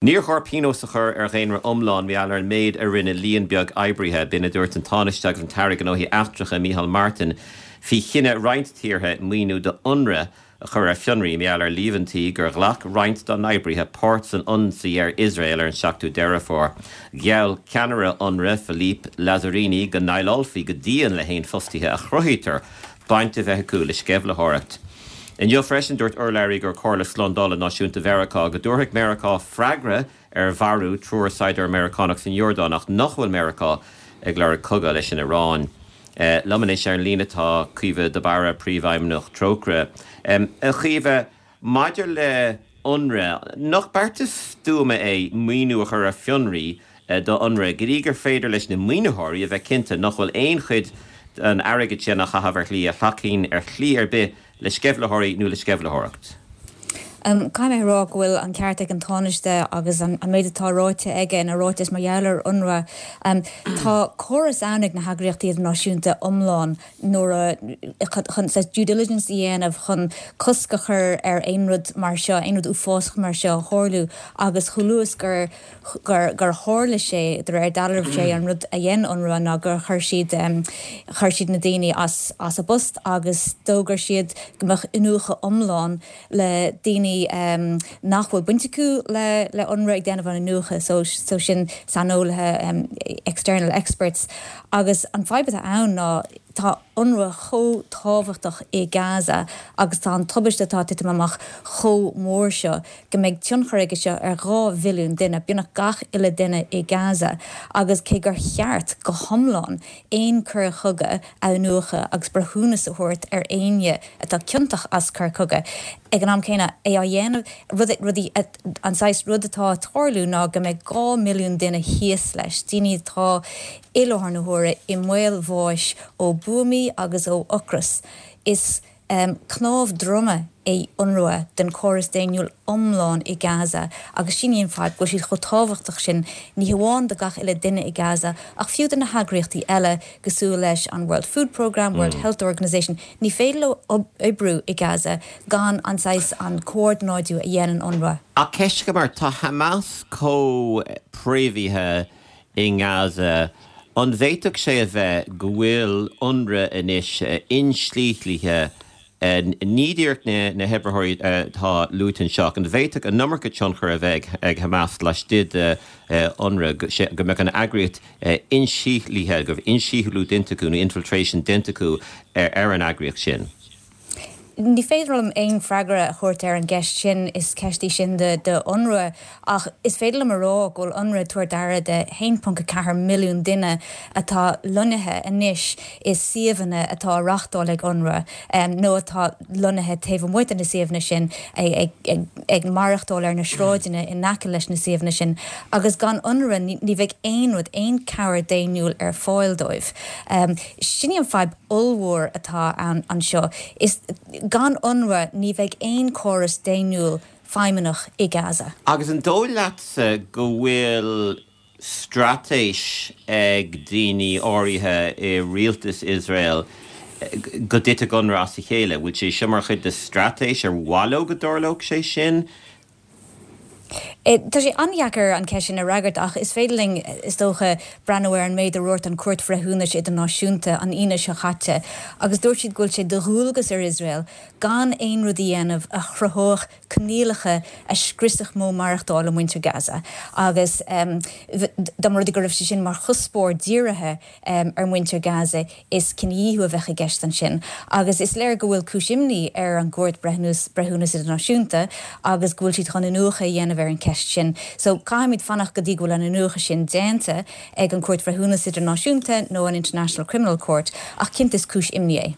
Níor chóir pionós a chur ar dhaonra iomlán mar gheall ar an méid a rinne líon beag oibrithe, b'in a dúirt an Tánaiste agus an tAire Gnóthaí Eachtracha Micheál Martin faoi chinneadh roinnt tíortha maoiniú do Unrwa a chur ar fionraí mar gheall ar líomhaintí gur ghlac roinnt dá n-oibrithe páirt san ionsaí ar Iosrael ar an 7ú Deireadh Fómhair. Gheall ceannaire Unrwa, Philippe Lazzarini, go ndéileálfaí go dian le haon fostaithe a chruthaítear baint a bheith acu le sceimhlitheoireacht. Inniu freisin, dúirt urlabhraí do Chomhairle Slándála Náisiúnta Mheiriceá go dtabharfaidh Meiriceá freagra ar mharú triúr saighdiúir Meiriceánach san Iordáin ach nach bhfuil Meiriceá ag lorg cogadh leis an Iaráin. Liom anois ar an líne tá Caoimhe de Barra, Príomhfheidhmeannach Trócaire. A Chaoimhe, Maidir le Unrwa, nach beartas stuama é maoiniú a chur ar fionraí do Unrwa go dtí gur féidir leis na maoinitheoirí a bheith cinnte nach bhfuil aon chuid den airgead sin á chaitheamh ar shlí a thacaíonn ar shlí ar bith le sceimhlitheoirí nó le sceimhlitheoireacht? Caithfidh mé a rá go bhfuil an ceart ag an Tánaiste agus an méid atá ráite aige ina ráiteas mar gheall ar Unrwa. Tá córas ann ag na heagraíochtaí idirnáisiúnta iomlán nuair a, chun saghas due diligence a dhéanamh chun cosc a chur ar aon rud mar seo, aon rud uafásach mar seo a tharlú agus chomh luath is gur, gur, gur tharla sé, de réir dealraimh sé an rud a dhein Unrwa ná gur chuir siad, chuir siad na daoine as, as a bpost agus d'fhógair siad go mbeadh iniúchadh iomlán le daoine nach bhfuil baint acu le, le Unrwa ag déanamh an iniúchadh so, so sin saineolaithe, external experts. Agus an fadhb atá ann ná tá Unrwa chomh tábhachtach i Gaza agus tá an tubaiste atá ag titim amach chomh mór seo go mbeidh tionchar aige seo ar 2 mhilliún duine, beagnach gach uile duine i Gaza. Agus cé gur cheart go hiomlán aon coir chogaidh a iniúchadh agus breithiúnas a thabhairt ar éinne atá ciontach as coir chogaidh, ag an am céanna é á dhéanamh, rudaí, An saghas rud atá ag tarlú ná go mbeidh 2 mhilliún duine thíos leis, daoine atá i láthair na huaire i mbaol bháis ó buamaí agus ó ocras. Is cnámh droma é Unrwa den chóras daonnúil iomlán i Gaza agus sin í an fadhb, go bhfuil siad chomh tábhachtach sin, ní hamháin do gach uile duine i Gaza ach fiú do na heagraíochtaí eile cosúil leis an World Food Programme, World Health Organization. Ní féidir leo oibriú i Gaza gan an saghas, an comhordanáidiú a dhéanann Unrwa. Ach ceist agam ort, tá Hamas chomh préamhaithe i nGaza, an bhféadfadh sé a bheith go bhfuil Unrwa anois inslithe, ní díreach na hoibritheoirí atá luaite anseo, ach an bhféadfadh an iomarca tionchair a bheith ag Hamas laistigh de Unrwa, go mbeadh an eagraíocht insíothlaithe, go raibh insíothlú déanta acu nó infiltration déanta acu ar an eagraíocht sin. Ní féidir liom aon freagra a thabhairt ar an gceist sin, is ceist í sin do Unrwa, ach is féidir liom a rá go bhfuil Unrwa ag tabhairt aire do 1.4 milliún duine atá lonnaithe anois i suíomhanna atá á reáchtáil ag Unrwa nó atá lonnaithe taobh amuigh de na suíomhanna sin, ag maireachtáil ar na sráideanna in aice leis na suíomhanna sin agus gan Unrwa ní bheidh aon rud, aon cabhair daonnúil ar fáil dóibh. Sin í an fadhb ollmhór atá ann anseo. Is gan Unrwa ní bheidh aon córas daonnúil feidhmeannach i Gaza. Agus an dóigh leatsa go bhfuil straitéis ag daoine áirithe i rialtas Iosrael go dtitfeadh Unrwa as a chéile? Bhfuil sé seo mar chuid de straitéis? Ar mhaith leo go dtarlódh sé sin? Tá sé an-deacair an cheist sin a fhreagairt ach is féidir linn, is dócha, breathnú ar an méid a dhúirt an Chúirt Bhreithiúnais Idirnáisiúnta an Aoine seo caite agus dúirt siad go bhfuil sé de dhualgas ar Iosrael gan aon rud a dhéanamh a chruthódh coinníollacha a scriosfadh modh maireachtála muintir Gaza agus dá mba rud é go raibh sé sin mar chuspóir dírithe ar mhuintir Gaza is cinedhíothú a bheadh i gceist ansin. Agus is léir go bhfuil cúis imní ar an gCúirt Breithiúnas Idirnáisiúnta agus go bhfuil siad chun iniúchadh a dhéanamh ar an cheist sin. So caithfimid fanacht go dtí go bhfuil an iniúchadh sin déanta ag an Chúirt Bhreithiúnas Idirnáisiúnta nó an International Criminal Court ach cinnte is cúis imní é.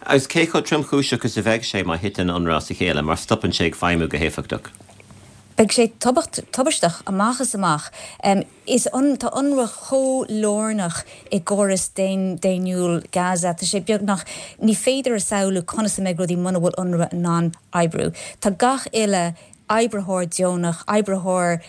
Agus cé chomh tromchúiseach is a bheidh sé má thiteann Unrwa as a chéile, má stopann sé ag feidhmiú go héifeachtach? Beidh sé tubaisteach amach is amach. Is tá Unrwa chomh lárnach i gcóras daonnúil Gaza. Tá sé beagnach, ní féidir a samhlú conas a mbeidh rudaí muna bhfuil Unrwa in ann oibriú. Tá gach uile. oibritheoir deonach, oibritheoir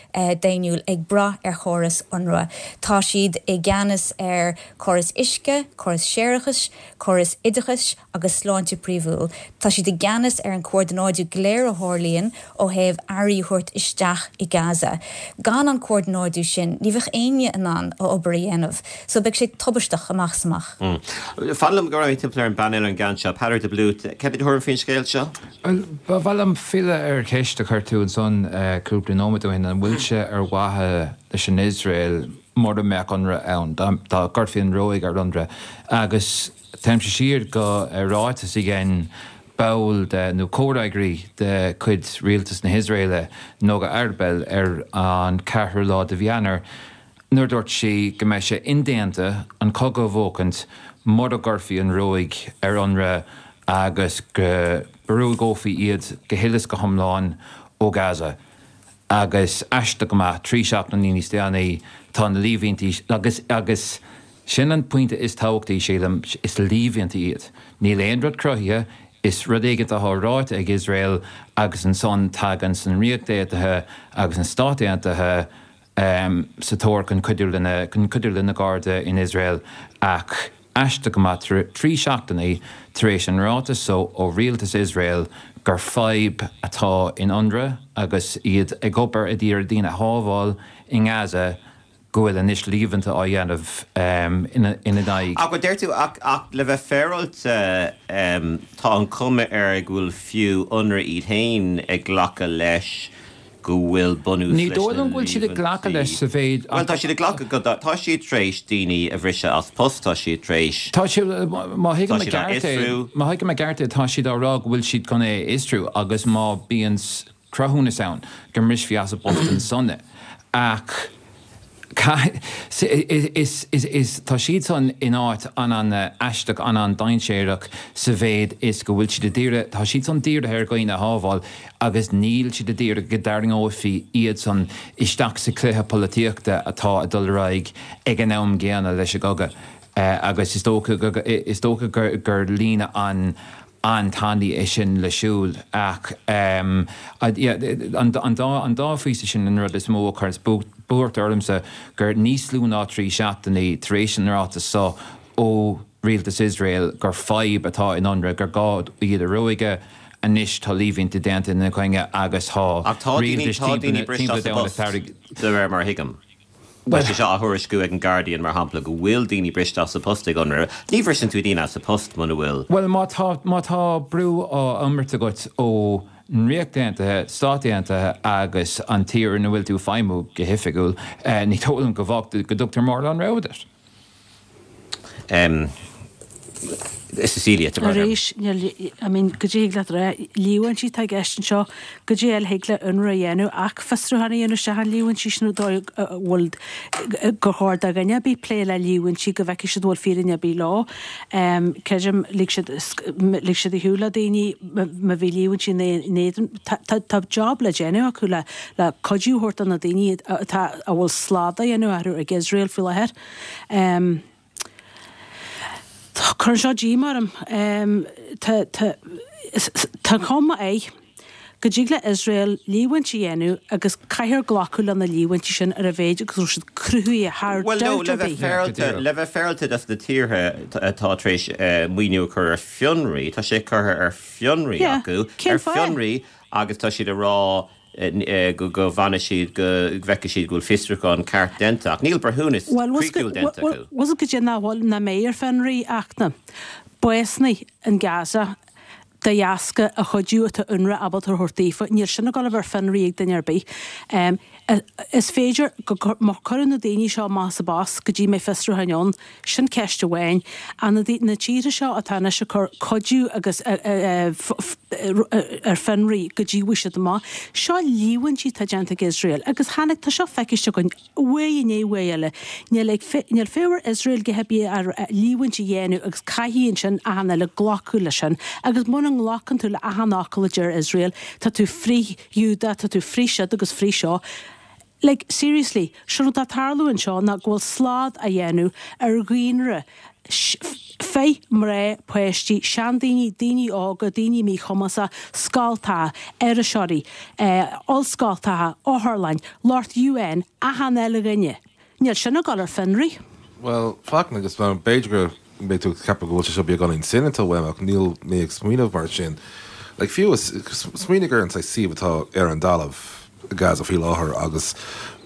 daonnúil ag brath ar chóras Unrwa. Tá siad i gceannas ar chóras uisce, córas séarachais, córas oideachais agus sláinte príomhúil. Tá siad i gceannas ar an comhordanáidiú go léir a tharlaíonn ó thaobh earraí a thabhairt isteach i Gaza. Gan an comhordanáidiú sin, ní bheadh éinne in ann a obair a dhéanamh. So beidh sé tubaisteach amach is amach. Fan liom go raghaidh mé timpeall ar an bpainéal ar an gceann seo. Peadar de Blút, cad é do thuairim faoin scéal seo? Bhuel, ba mhaith liom filleadh ar cheist a chuir tú ansan cúpla nóiméad ó shin, an bhfuil sé ar mhaithe leis an Iosrael mura mbeadh Unrwa ann, dá gcuirfí an ruaig ar Unrwa? Agus téimse siar go ráiteas a dhein ball de, nó comhfhreagraí de chuid rialtas na hIosraeile, Noga Arbel, ar an ceathrú lá de mhí Eanáir, nuair a dúirt sí go mbeidh sé indéanta an cogadh a bhuachaint mura gcuirfí an ruaig ar Unrwa agus go ruaigeofaí iad go huile is go hiomlán ó Gaza. Agus aisteach go maith, 3 seachtainí níos déanaí, tá na líomhaintí, agus, agus sin an pointe is tábhachtaí, sílim, is líomhaintí iad. Níl aon rud cruthaithe, is rud éigin atá ráite ag Iosrael agus ansan tagann an Ríocht Aontaithe agus na Stáit Aontaithe, sa tóir chun cuidiú lena chun cuidiú lena gcairde in Iosrael ach aisteach go maith 3 seachtainí tar éis an ráiteas so ó rialtas Iosrael gur fadhb atá in Unrwa agus iad ag obair ag iarraidh daoine a shábháil i nGaza go bhfuil anois líomhaintí á dhéanamh ina n-aghaidh. Ach deir tú ach ach le bheith féaráilte tá an chuma air go bhfuil fiú Unrwa iad féin ag glacadh leis go bhfuil bunús Ní leis dóigh na liom go bhfuil siad ag glacadh leis sa mhéid Bhuel, tá siad ag glacadh go, tá siad tar éis daoine a bhriseadh as post, tá siad tar éis, Tá siad, má thuigim tá i siad á gceart é, fhiosrú. má thuigim i gceart é, tá siad á rá go bhfuil siad chun é a fhiosrú agus má bíonn cruthúnas ann go mbrisfí as a bpost ansan é. Ach Is, is, tá siadsan in áit an-an-aisteach, an-an-dainséarach sa mhéid is go bhfuil siad ag iarraidh, tá siadsan dírithe ar dhaoine a shábháil agus níl siad ag iarraidh go dtarraingeofaí iadsan isteach sa chluiche polaitíochta atá ag dul ar aghaidh ag an am gcéanna leis an gcogadh. Agus is dócha go, is dócha gur líne an, an-tanaí é sin le siúl ach an dá phíosa sin an rud is mó a chuireanns buairt ormsa gur níos lú ná 3 seachtainí tar éis an ráiteas so ó rialtas Iosrael gur fadhb atá in Unrwa, gur gá iad a ruaigeadh, anois tá líomhaintí déanta ina gcoinne agus tá rialtais timpeall an domhain ag tarraingt. De réir mar a thuigim. Tá sé seo á thuairisciú ag an Guardian, mar shampla, go bhfuil daoine briste as a bpost ag Unrwa. Ní bhriseann tú daoine as a bpost muna bhfuil. Bhuel, má tá, má tá brú á imirt agat ó an Ríocht Aontaithe, Stáit Aontaithe agus an tír ina bhfuil tú ag feidhmiú go hoifigiúil, ní dóigh liom go bhfág, go dtugtar mórán rogha duit. Cecilia, tá brón orm. Arís, níl, I mean, goidé thig leat a rá, líomhaintí atá i gceist anseo, goidé eile thig le Unrwa a dhéanamh ach fiosrúchán a dhéanamh isteach an líomhaintí sin an dóigh a bhfuil, gur chóir do dhuine ar bith plé le líomhaintí go bhfeicfidh siad an bhfuil fírinne ar bith leo. Creidim, lig siad, lig siad ar shiúl le daoine má bhí líomhaintí in éadan, tá, tá, tá job le déanamh acu le, le cuidiú a thabhairt do na daoine atá, a bhfuil slad á dhéanamh orthu ag Iosrael faoi láthair. Cuireann seo díomá orm. Tá, tá, tá cuma air go dtig le Iosrael líomhaint a dhéanamh agus caithfear glacadh le na líomhaintí sin ar a mhéid agus go raibh siad cruthaithe thar Bhuel, no, le bheith féaráilte, le bheith féaráilte dos na tíortha atá tar éis maoiniú a chur ar fionraí, tá sé curtha ar fionraí acu, ar fionraí agus tá siad ag rá go bhfanfaidh siad go bhfeicfidh siad go bhfuil fiosrúchán ceart déanta ach níl breithiúnas críochnúil déanta acu. Bhuel, goidé nach bhfuil, nach mbeidh ar fionraí ach na básanna in Gaza de dheasca an chuidiú atá Unrwa ábalta a thabhairt daofa. Níl sin ag dul a bheith ar fionraí ag duine ar bith. Is féidir go, má cuireadh na daoine seo amach as a bpost go dtí mbeidh fiosrúcháin ann, Sin ceist amháin. Ach na na tíortha seo atá anois ag cur cuidiú agus ar fionraí go dtí bhfaighidh siad amach. Seo líomhaintí atá déanta ag Iosrael agus tháinig, tá seo feiciste againn uair i ndiaidh uair eile. Níl ag, níl fabhar Iosrael go hibí ar líomhaint a dhéanamh agus caithfidh ansin achan eile glacadh leis sin. Agus muna nglacann tú le achan fhocal a deir Iosrael, tá tú frith-Ghiúdach, tá tú frith siod agus frith seo. Like, seriously, sé an rud atá ag tarlú anseo ná go bhfuil slad á dhéanamh ar dhaonra fir, mná, páistí, seandaoine, daoine óga, daoine míchumasacha, scoltacha, iriseoirí, ollscoltacha, otharlann, lucht UN, achan uile dhuine. Níl sin ag dul ar fionraí. Bhuel, Fachtna, agus b'fhéidir go mbeidh tú ag ceapadh go bhfuil sé seo beagáinín soineanta uaim ach níl mé ag smaoineamh mar sin. Like, fiú, smaoinigh ar an saghas suíomh atá ar an dtalamh i Gaza faoi láthair agus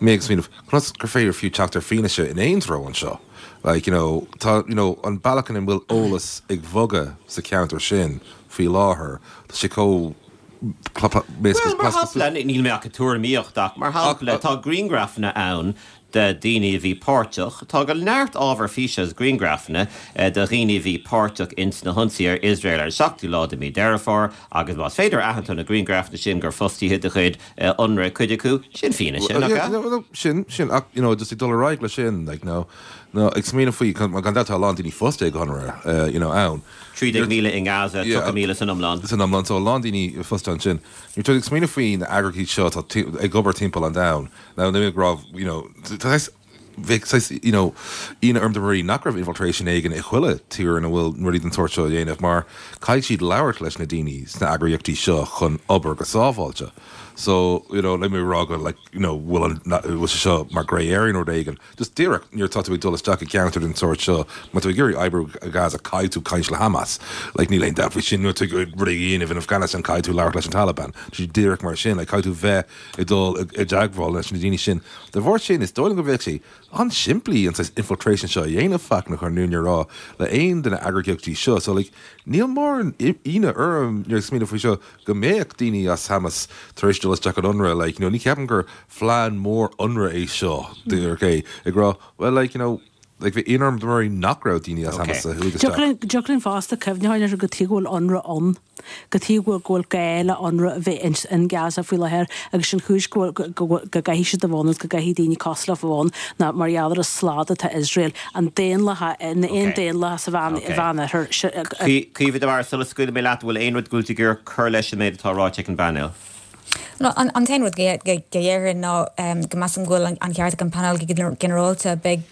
mé ag smaoineamh conas gur féidir fiú teacht ar fianaise in aon treo anseo. Like, you know, tá, you know, an bealach ina bhfuil eolas ag bhogadh sa cheantar sin faoi láthair, tá sé chomh Bhuel, mar shampla, níl mé ach ag tuairimíocht ach mar shampla, tá grianghrafanna ann de dhaoine a bhí páirteach, tá go neart ábhar físe agus grianghrafanna de dhaoine a bhí páirteach ins na hionsaithe ar Iosrael ar an seachtú lá de mhí Deireadh Fómhair agus más féidir a aithint ó na grianghrafanna sin gur fostaithe de chuid Unrwa cuid acu, sin fianaise, nach ea? Sin, sin, ach, you know, just ag dul ar aghaidh leis sin, like, no, no, ag smaoineamh faoi, gan dabht tá a lán daoine fostaithe ag Unrwa, you know, ann. 13,000 i nGaza, 30,000 san iomlán. San iomlán, so a lán daoine fostaithe ansin. Nuair atá tú ag smaoineamh faoi na eagraíochtaí seo atá ag obair timpeall an domhain, now níl mé ag rá, you know, tá saghas, bheadh saghas, you know, ionadh orm dá mba rud é nach raibh infiltration éigin i chuile tír ina bhfuil rudaí den tsórt seo á dhéanamh mar caithfidh siad labhairt leis na daoine sna eagraíochtaí seo chun obair go sábháilte. So, you know, níl mé ag rá go like, you know, bhfuil an, bhfuil sé seo mar grey area nó rud éigin. Just díreach nuair atá tú ag dul isteach i gceantar den sórt seo, má tá tú ag iarraidh oibriú i Gaza, caithfidh tú caint le Hamas. Like, níl aon dabht faoi sin. Nuair atá tú ag rud a dhéanamh in Afghanistan, caithfidh tú labhairt leis an Taliban. Tá sé díreach mar sin. Like, caithfidh tú bheith ag dul i dteagmháil leis na daoine sin. De bharr sin, is dóigh liom go bheadh sé an-simplí an saghas infiltration seo a dhéanamh, Fachtna, chun an fhírinne a rá, le aon de na eagraíochtaí seo. So, like, níl mórán ionadh orm nuair ag smaoineamh faoi seo go mbeadh daoine as Hamas tar éis dul isteach in Unrwa. Like, you know, ní cheapaim gur phlean mór Unrwa é seo, díreach é ag rá, well, like, you know, like, bheadh ionadh orm dá mba rud é nach raibh daoine as Hamas a chuaigh isteach. Dtiocfadh linn fosta cuimhneamh air cad tuige go bhfuil Unrwa ann, cad tuige go bhfuil gá le Unrwa a bheith in Gaza faoi láthair agus sin chúis go bhfuil, go gcaithfidh siad a bheith ann agus go gcaithfidh daoine cosúil leo a bheith ann ná mar gheall ar an slad atá Iosrael, an daonlathas, an daonlathas sa Mheánoirthear. Caoimhe de Barra, sula scaoilfidh mé leat, an bhfuil aon rud go bhfuil tú ag iarraidh cur leis an méid atá ráite ag an bpainéal? An t-aon rud go déarfainn ná go measaim go bhfuil an ceart ag an bpainéal go ginearálta. Beidh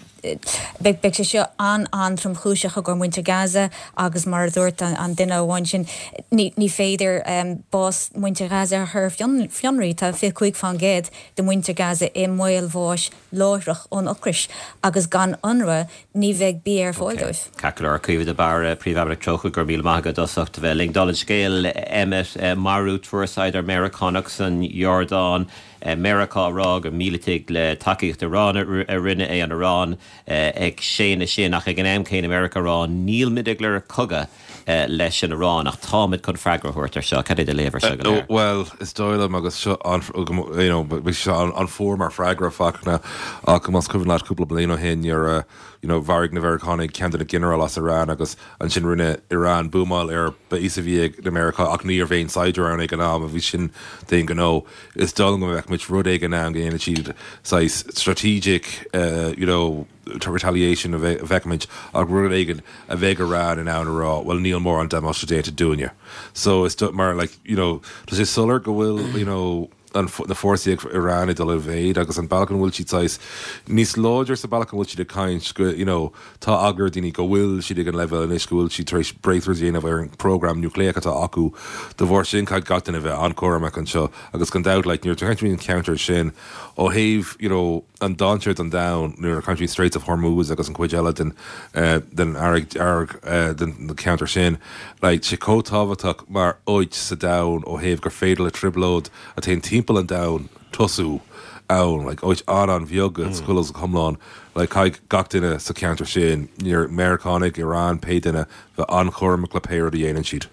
beidh sé seo an-an-tromchúiseach i gcomhair muintir Gaza agus mar a dúirt an duine amháin sin, ní féidir bás muintir Ghaza a chur ar fionraí. Tá 25% de mhuintir Gaza i mbaol bháis láithreach ón ocras agus gan Unrwa ní bheidh bia ar fáil dóibh. Ceart go leor, Caoimhe de Barra, Príomhfheidhmeannach Trócaire, go raibh míle maith agat as ucht a bheith linn. Dála an scéil, Emmet, marú triúr saighdiúir Meiriceánach san Iordáin, Meiriceá ag rá gur mílitigh le tacaíocht Iran a rinne é, an Iaráin ag séanadh sin ach ag an am céanna Meiriceá ag rá níl muid ag lorg cogadh leis an Iaráin ach táimid chun freagra a thabhairt ar seo. Cad é do léamh ar seo go léir? Bhuel, is dóigh liom agus seo an, you know, beidh sé an-fhuar mar freagra, Fachtna, ach más cuimhin leat cúpla bliain ó shin nuair a, you know, mharaigh na Meiriceánaigh ceann de na ginearáil as Iran agus ansin rinne Iran buamáil ar base a bhí ag na Meiriceá ach ní raibh aon saighdiúir ann ag an am a bhí sin d'aon ghnó. Is dóigh liom go mbeidh muid rud éigin ann go ndéanfaidh siad saghas strategic, you know, retaliation a bhfeicfimid ach rud éigin a bheidh Iran in ann a rá, bhuel níl mórán damáiste déanta dúinne. So is mar like, you know, tá sé soiléir go bhfuil, you know, an, na fórsaí ag Iran ag dul i mhéid agus an bealach an bhfuil siad saghas níos láidre sa bealach an bhfuil siad ag caint go, you know, tá eagla ar daoine go bhfuil siad ag an leibhéal anois go bhfuil siad tar éis breakthroughs a dhéanamh ar an program núicléach atá acu. De bharr sin caithfidh gach duine bheith an-chúramach anseo agus gan dabht like nuair atá caint faoin cheantar sin ó thaobh, you know, an dainséar don domhan nuair a caint faoi Straits of Hormuz agus an chuid eile den den Fharraige Dhearg den cheantar sin. Like sé chomh tábhachtach mar áit sa domhan ó thaobh gur féidir le trioblóid a théann timpeall an domhain tosú ann. Like áit an-an-bheag go huile is go hiomlán. Like caithfidh gach duine sa cheantar sin, Meiriceánaigh, Iran, pé duine, bheith an-chúramach le pé rud a dhéanann siad.